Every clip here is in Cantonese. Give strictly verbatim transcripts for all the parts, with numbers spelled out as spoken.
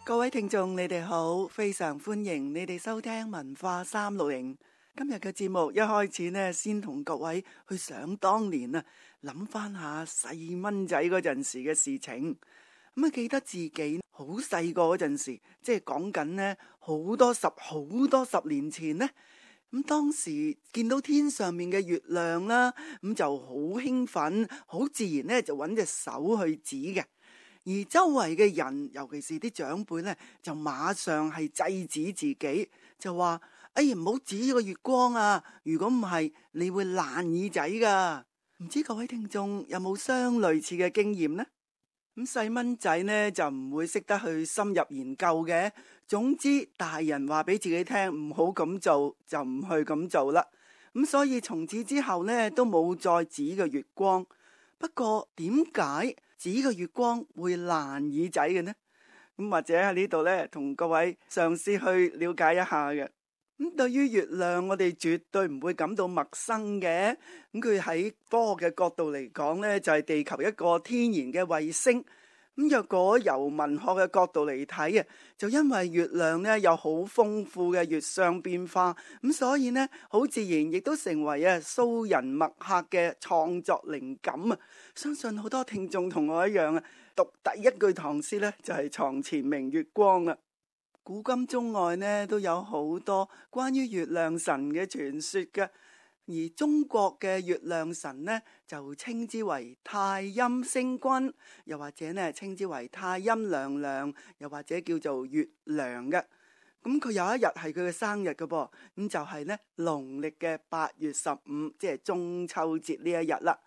各位聽眾，你哋好，非常歡迎你哋收聽文化三六零。今日嘅節目一開始呢，先同各位去想當年啊，諗翻下細蚊仔嗰陣時嘅事情。咁啊，記得自己好細個嗰陣時，即係講緊呢好多十好多十年前呢。咁當時見到天上面嘅月亮啦，咁就好興奮，好自然呢就揾隻手去指嘅。而周圍嘅人，尤其是啲長輩呢，就馬上係制止自己，就話：哎呀，唔好指個月光啊！如果唔係，你會爛耳仔噶。唔知各位聽眾有冇相類似嘅經驗呢？咁細蚊仔呢就唔會識得去深入研究嘅。總之，大人話俾自己聽唔好咁做，就唔去咁做啦。咁所以從此之後呢，都冇再指個月光。不過點解指個月光會爛耳仔嘅呢？咁或者喺呢度呢，同各位嘗試去了解一下嘅。咁對於月亮，我哋絕對唔會感到陌生嘅。咁佢喺科學嘅角度嚟講呢，就係地球一個天然嘅衛星。咁若果由文學嘅角度嚟睇啊，就因為月亮呢有好豐富嘅月相變化，咁所以呢好自然亦都成為啊蘇人墨客嘅創作靈感啊！相信好多聽眾同我一樣啊，讀第一句唐詩呢就係床前明月光啊！古今中外呢都有好多關於月亮神嘅傳說嘅。而中國嘅月亮神呢，就稱之為太陰星君，又或者呢稱之為太陰娘娘，又或者叫做月亮嘅。咁佢有一日係佢嘅生日嘅噃，咁就係呢農曆嘅八月十五，即係中秋節呢一日啦。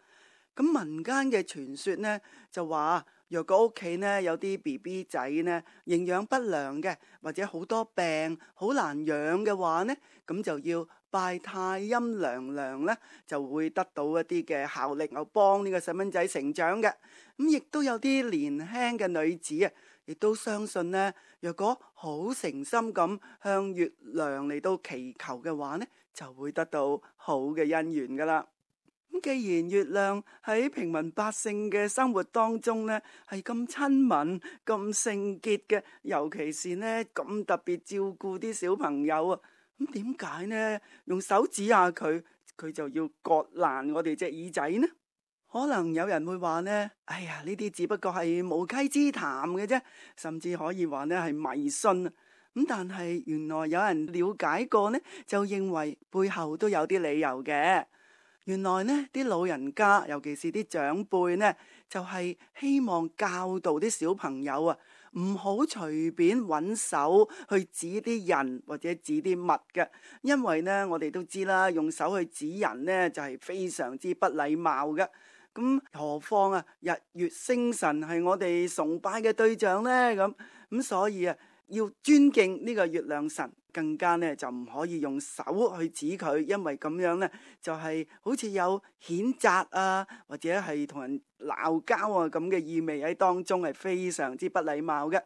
咁民間嘅傳說呢就話，若果屋企呢有啲 B B 仔呢營養不良嘅，或者好多病好難養嘅話呢，咁就要拜太陰娘娘呢，就會得到一啲嘅效力，又幫呢個細蚊仔成長嘅。咁亦都有啲年輕嘅女子啊，亦都相信呢，若果好誠心咁向月亮嚟到祈求嘅話呢，就會得到好嘅姻緣噶啦。咁既然月亮喺平民百姓嘅生活當中呢，係咁親民、咁聖潔嘅，尤其是呢咁特別照顧啲小朋友啊，咁點解呢用手指下佢，佢就要割爛我哋隻耳仔呢？可能有人會話呢，哎呀，呢啲只不過係無稽之談嘅啫，甚至可以話呢係迷信啊。咁但係原來有人了解過呢，就認為背後都有啲理由嘅。原來呢啲老人家，尤其是啲長輩呢，就係希望教導啲小朋友啊，唔好隨便揾手去指啲人或者指啲物嘅，因為呢我哋都知啦，用手去指人呢就係非常之不禮貌嘅。咁何況啊，日月星辰係我哋崇拜嘅對象呢，咁咁所以啊，要尊敬呢個月亮神，更加呢就唔可以用手去指佢，因為咁樣呢就係好似有譴責啊，或者係同人鬧交啊咁嘅意味喺當中，係非常之不禮貌嘅。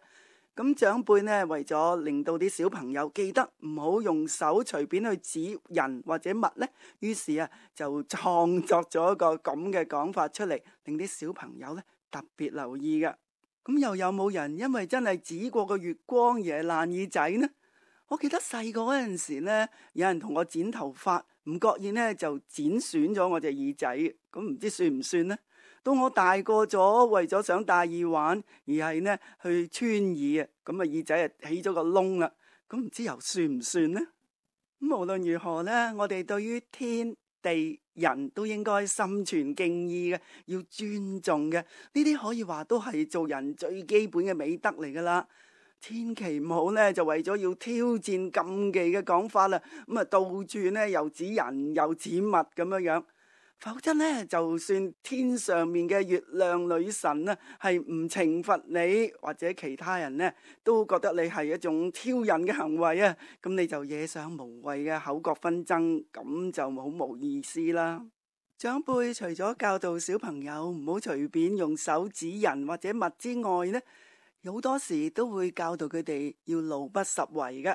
咁長輩呢，為咗令到啲小朋友記得唔好用手隨便去指人或者物呢，於是啊就創作咗一個咁嘅講法出嚟，令啲小朋友呢特別留意嘅。咁又有冇人因為真係指過個月光而係爛耳仔呢？我記得細個嗰陣時呢，有人同我剪頭髮，唔覺意呢就剪損咗我隻耳仔，咁唔知算唔算呢？到我大個咗，為咗想戴耳環，而係呢去穿耳啊，咁啊耳仔啊起咗個窿啦，咁唔知又算唔算呢？咁無論如何呢，我哋對於天地人都應該心存敬意嘅，要尊重嘅，呢啲可以話都係做人最基本嘅美德嚟噶啦。千祈唔好呢，就為咗要挑戰禁忌嘅講法啦，咁啊到處呢又指人又指物咁樣樣。否則呢，就算天上面嘅月亮女神呢係唔懲罰你，或者其他人呢都覺得你係一種挑釁嘅行為啊，咁你就惹上無謂嘅口角紛爭，咁就好冇意思啦。長輩除咗教導小朋友唔好隨便用手指人或者物之外呢，好多時都會教導佢哋要路不拾遺嘅。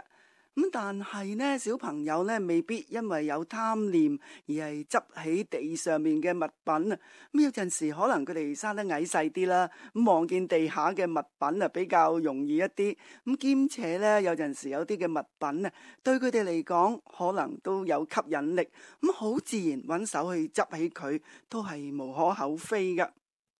咁但係呢，小朋友呢未必因為有貪念而係執起地上面嘅物品啊。咁有陣時可能佢哋生得矮細啲啦，咁望見地下嘅物品啊比較容易一啲。咁兼且呢，有陣時有啲嘅物品啊，對佢哋嚟講可能都有吸引力，咁好自然揾手去執起佢，都係無可厚非噶。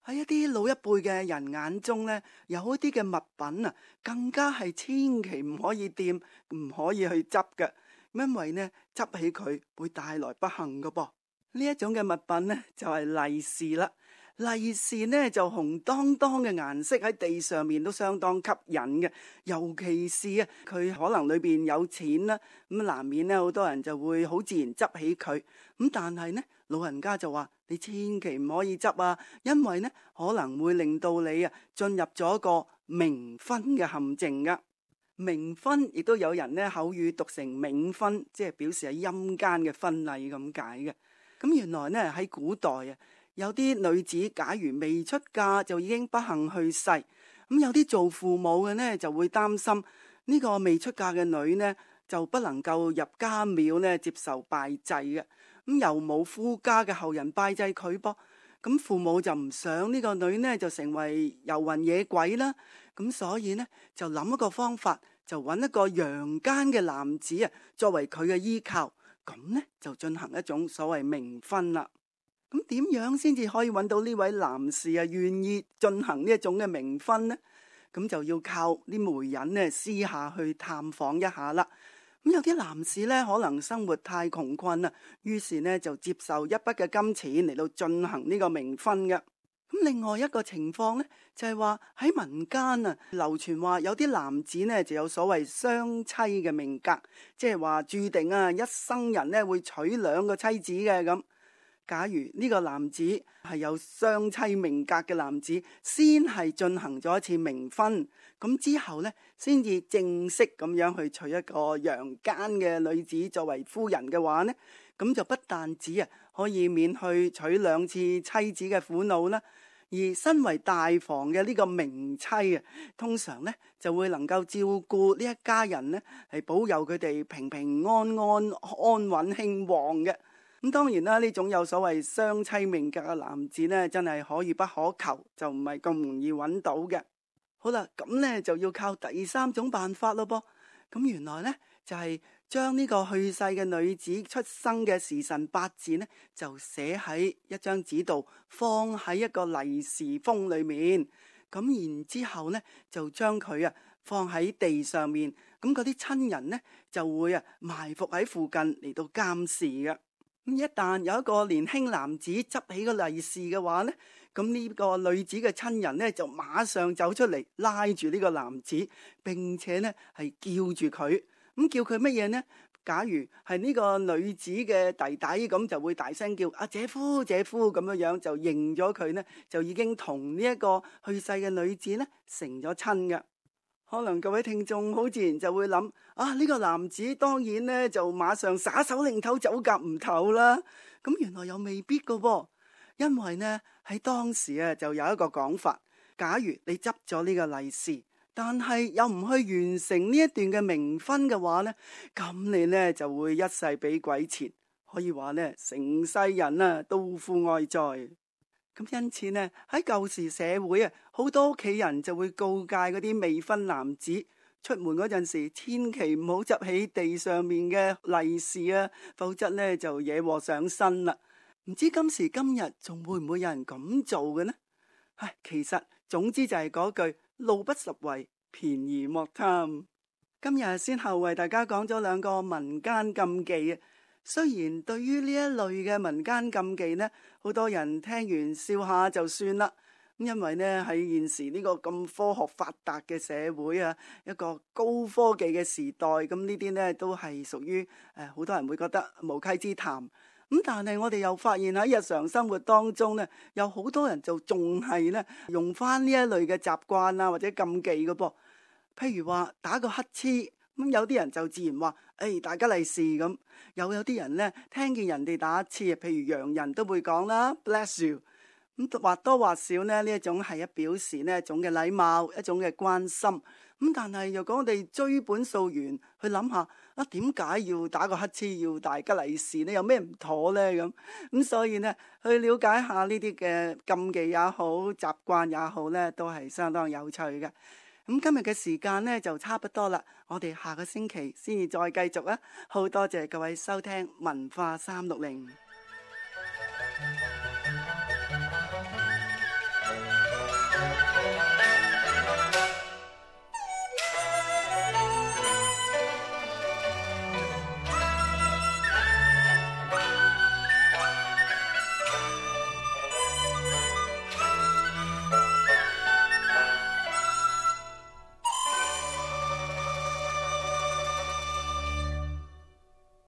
喺一啲老一輩嘅人眼中呢，有一啲嘅物品啊，更加係千祈唔可以掂，唔可以去執嘅，因為呢執起佢會帶來不幸噶噃。呢一種嘅物品呢，就係利是啦。利是呢就紅當當嘅顏色喺地上面都相當吸引嘅，尤其是啊佢可能裏邊有錢啦，咁難免呢好多人就會好自然執起佢。咁但係呢老人家就話你千祈唔可以執啊，因為呢可能會令到你啊進入咗一個冥婚嘅陷阱噶。冥婚亦都有人呢口語讀成冥婚，即係表示係陰間嘅婚禮咁解嘅。咁原來呢喺古代啊，有啲女子假如未出嫁就已經不幸去世，咁有啲做父母嘅呢就會擔心呢個未出嫁嘅女呢就不能夠入家廟呢接受拜祭嘅，咁又冇夫家嘅後人拜祭佢噃，咁父母就唔想呢個女呢就成為遊魂野鬼啦，咁所以呢就諗一個方法，就揾一個陽間嘅男子啊作為佢嘅依靠，咁呢就進行一種所謂冥婚啦。咁點樣先至可以揾到呢位男士啊願意進行呢一種嘅冥婚呢？咁就要靠啲媒人呢私下去探訪一下啦。咁有啲男士呢可能生活太窮困啦，於是呢就接受一筆嘅金錢嚟到進行呢個冥婚嘅。咁另外一個情況呢，就係話喺民間啊流傳話有啲男子呢就有所謂雙妻嘅命格，即係話注定啊一生人呢會娶兩個妻子嘅咁。假如呢個男子係有雙妻命格嘅男子，先係進行咗一次冥婚，咁之後呢，先至正式咁樣去娶一個陽間嘅女子作為夫人嘅話呢，咁就不但止啊可以免去娶兩次妻子嘅苦惱啦，而身為大房嘅呢個冥妻啊，通常呢就會能夠照顧呢一家人呢，係保佑佢哋平平安安、安穩興旺嘅。咁當然啦，呢種有所謂雙妻命格嘅男子呢，真係可遇不可求，就唔係咁容易揾到嘅。好啦，咁呢就要靠第三種辦法咯噃。咁原來呢，就係將呢個去世嘅女子出生嘅時辰八字呢，就寫喺一張紙度，放喺一個利是封裏面。咁然之後呢，就將佢啊放喺地上面。咁嗰啲親人呢，就會啊埋伏喺附近嚟到監視嘅。咁一旦有一個年輕男子執起個利是嘅話呢，咁呢個女子嘅親人呢，就馬上走出嚟拉住呢個男子，並且呢係叫住佢。咁叫佢乜嘢呢？假如係呢個女子嘅弟弟，咁就會大聲叫啊姐夫姐夫，咁樣樣就認咗佢呢，就已經同呢一個去世嘅女子呢成咗親嘅。可能各位聽眾好自然就會諗啊，呢個男子當然呢就馬上耍手擰頭走夾唔唞啦。咁原來又未必噶噃，因為呢喺當時啊就有一個講法，假如你執咗呢個利是，但係又唔去完成呢一段嘅冥婚嘅話呢，咁你呢就會一世俾鬼纏，可以話呢成世人啊都負哀哉。咁因此呢，喺舊時社會啊，好多屋企人就會告誡嗰啲未婚男子出門嗰陣時，千祈唔好執起地上面嘅利是啊，否則呢就惹禍上身啦。唔知今時今日仲會唔會有人咁做嘅呢？唉，其實總之就係嗰句路不拾遺，便宜莫貪。今日先後為大家講咗兩個民間禁忌啊。雖然對於呢一類嘅民間禁忌呢，好多人聽完笑下就算啦。因為呢喺現時呢個咁科學發達嘅社會啊，一個高科技嘅時代，咁呢啲呢都係屬於誒好多人會覺得無稽之談。咁但係我哋又發現喺日常生活當中呢，有好多人就仲係呢用翻呢一類嘅習慣啊或者禁忌嘅噃。譬如話打個乞嗤。咁有啲人就自然話，誒、哎、大家利是咁。又有啲人呢，聽見人哋打乞嗤，譬如洋人都會講啦 ，bless you。咁或多或少呢，呢一種係一表示呢一種嘅禮貌，一種嘅關心。咁但係若果我哋追本溯源去諗下，啊點解要打個乞嗤，要大吉利是呢？有咩唔妥呢？咁咁所以呢，去了解下呢啲嘅禁忌也好，習慣也好呢，都係相當有趣嘅。咁今日嘅時間呢，就差不多啦，我哋下個星期先至再繼續啊！好多謝各位收聽文化三六零。